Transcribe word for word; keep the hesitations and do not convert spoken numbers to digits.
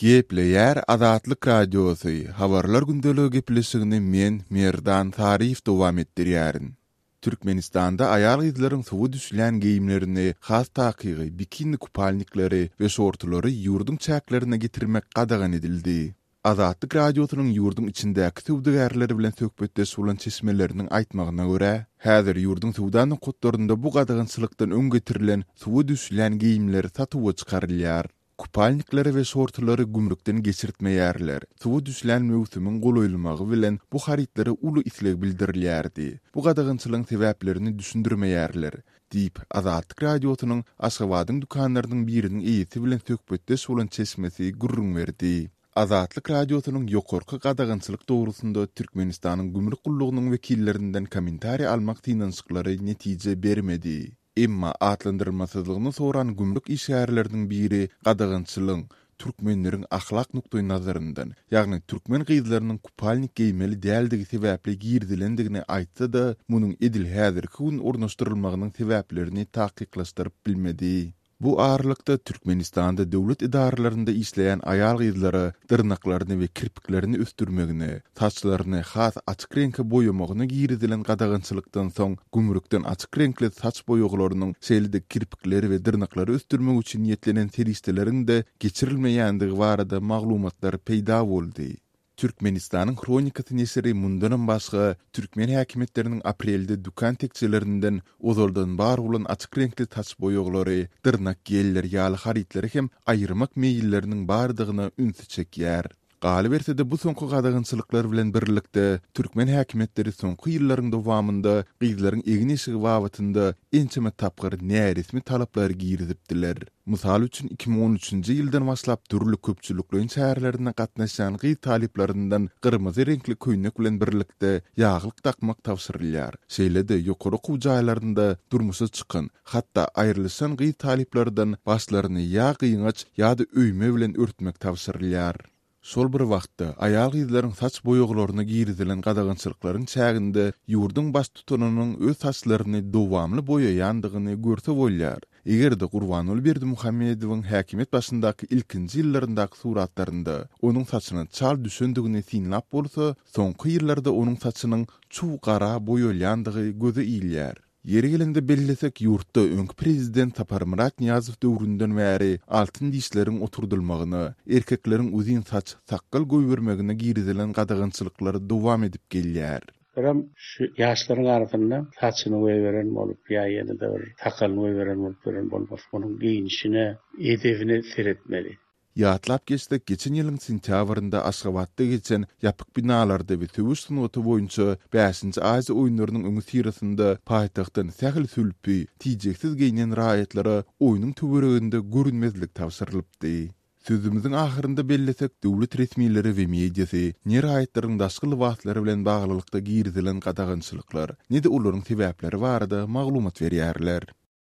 Gepleýär Azatlyk Radiosy, Habarlar gündeligi gepleşigini men, Merdan Saryýew dowam etdirýärin. Türkmenistanda aýal-gyzlaryň suwa düşülýän geýimlerini, has takygy bikini kupalnikleri we şortulary ýurduň çäklerine getirmek gadagan edildi. Azatlyk Radiosynyň ýurduň içindäki söwdagärleri bilen söhbetdeş bolan çeşmeleriniň aýtmagyna görä, häzir ýurduň söwda nokatlarynda bu gadagançylykdan öň getirilen suwa düşülýän geýimler satuwa çykarylýar. Kupalnikleri we şortulary gümrükden geçirtmeýärler. Suwa düşülýän möwsümiň golaýlamagy bilen bu harytlara uly isleg bildirilýärdi. Bu gadagançylygyň sebäplerini düşündirmeýärler, diýip, Azatlyk Radiosynyň Aşgabadyň dükanlarynyň biriniň eýesi bilen söhbetdeş bolan çeşmesi gürrüň berdi. Azatlyk Radiosynyň ýokarky gadagançylyk dogrusynda Türkmenistanyň gümrük gullugynyň wekillerinden kommentariý almak synanyşyklary netije bermedi. Emma atlandyrylmasyzlygyny soran gümrük işgärleriniň biri gadagançylygyň türkmenleriň ahlak nukdaýnazaryndan, ýagny türkmen gyzlarynyň kupalnik geýmeli däldigi sebäpli girizilendigini aýtsa-da, munuň edil häzirki gün ornaşdyrylmagynyň sebäplerini takyklaşdyryp bilmedi. Bu aralykda Türkmenistanda döwlet edaralarynda işleýän aýal-gyzlara dyrnaklaryny we kirpiklerini ösdürmegine, saçlaryny has açyk reňke boýamagyna girizilen gadagançylykdan soň gümrükden açyk reňkli saç boýaglarynyň, şeýle-de kirpikleri we dyrnaklary ösdürmek üçin niýetlenen serişdeleriň-de geçirilmeýändigi barada maglumatlar peýda boldy. Türkmenistanyň Hronikasy neşiri mundanam başga türkmen häkimiýetleriniň aprelde dükan tekjelerinden ozaldan bar bolan açyk reňkli saç boýaglary, dyrnak gelleri ýaly harytlary hem aýyrmak meýilleriniň bardygyna ünsi çekýär. Galyberse-de bu soňky gadagançylyklar bilen birlikde türkmen häkimiýetleri soňky ýyllaryň dowamynda gyzlaryň egin-eşigi babatynda ençeme tapgyr näresmi talaplary girizipdiler. Mysal üçin, iki müň on üçünji ýyldan başlap dürli köpçülikleýin çärelerine gatnaşýan gyz talyplaryndan gyrmyzy reňkli köýnek bilen birlikde ýaglyk dakmak tabşyrylýar. Şeýle-de ýokary okuw jaýlarynda durmuşa çykan, hatda aýrylyşan gyz talyplardan başlaryny ýa gyňaç ýa-da öýme bilen örtmek tabşyrylýar. Şol bir wagtda, aýal-gyzlaryň saç boýaglaryna girizilen gadagançylyklaryň çäginde ýurduň baştutanynyň öz saçlaryny dowamly boýaýandygyny görse bolýar. Eger-de Gurbanguly Berdimuhamedowyň häkimiýet başyndaky ilkinji ýyllaryndaky suratlarynda onuň saçyna çal düşendigini synlap bolsa, soňky ýyllarda onuň saçynyň çuw gara boýalýandygy göze ilýär. Ýeri gelende bellesek, ýurtda öňki prezident Saparmyrat Nyýazow döwründen bäri altyn dişleriň oturdylmagyna, erkekleriň uzyn saç, sakgal goýbermegine girizilen gadagançylyklar dowam edip gelýär. Birem şu ýaşlaryň arasynda saçyny goýberen bolup ýa ýene-de bir sakalyny goýberen bolup ýören bolmaz. Onuň geýnişine, edebine seretmeli. Ýatlap geçsek, geçen ýylyň sentýabrynda Aşgabatda geçen ýapyk binalarda we söweş sungaty boýunça bäşinji Aziýa oýunlarynyň öňüsyrasynda paýtagtdan sähel sülpi, tijeksiz geýnen raýatlara oýnuň töwereginde görünmezlik tabşyrylypdy. Sözümiziň ahyrynda bellesek, döwlet resmileri we mediasy ne raýatlaryň daşky lybaslary bilen baglylykda girizilen gadagançylyklar, ne-de olaryň sebäpleri barada maglumat berýärler.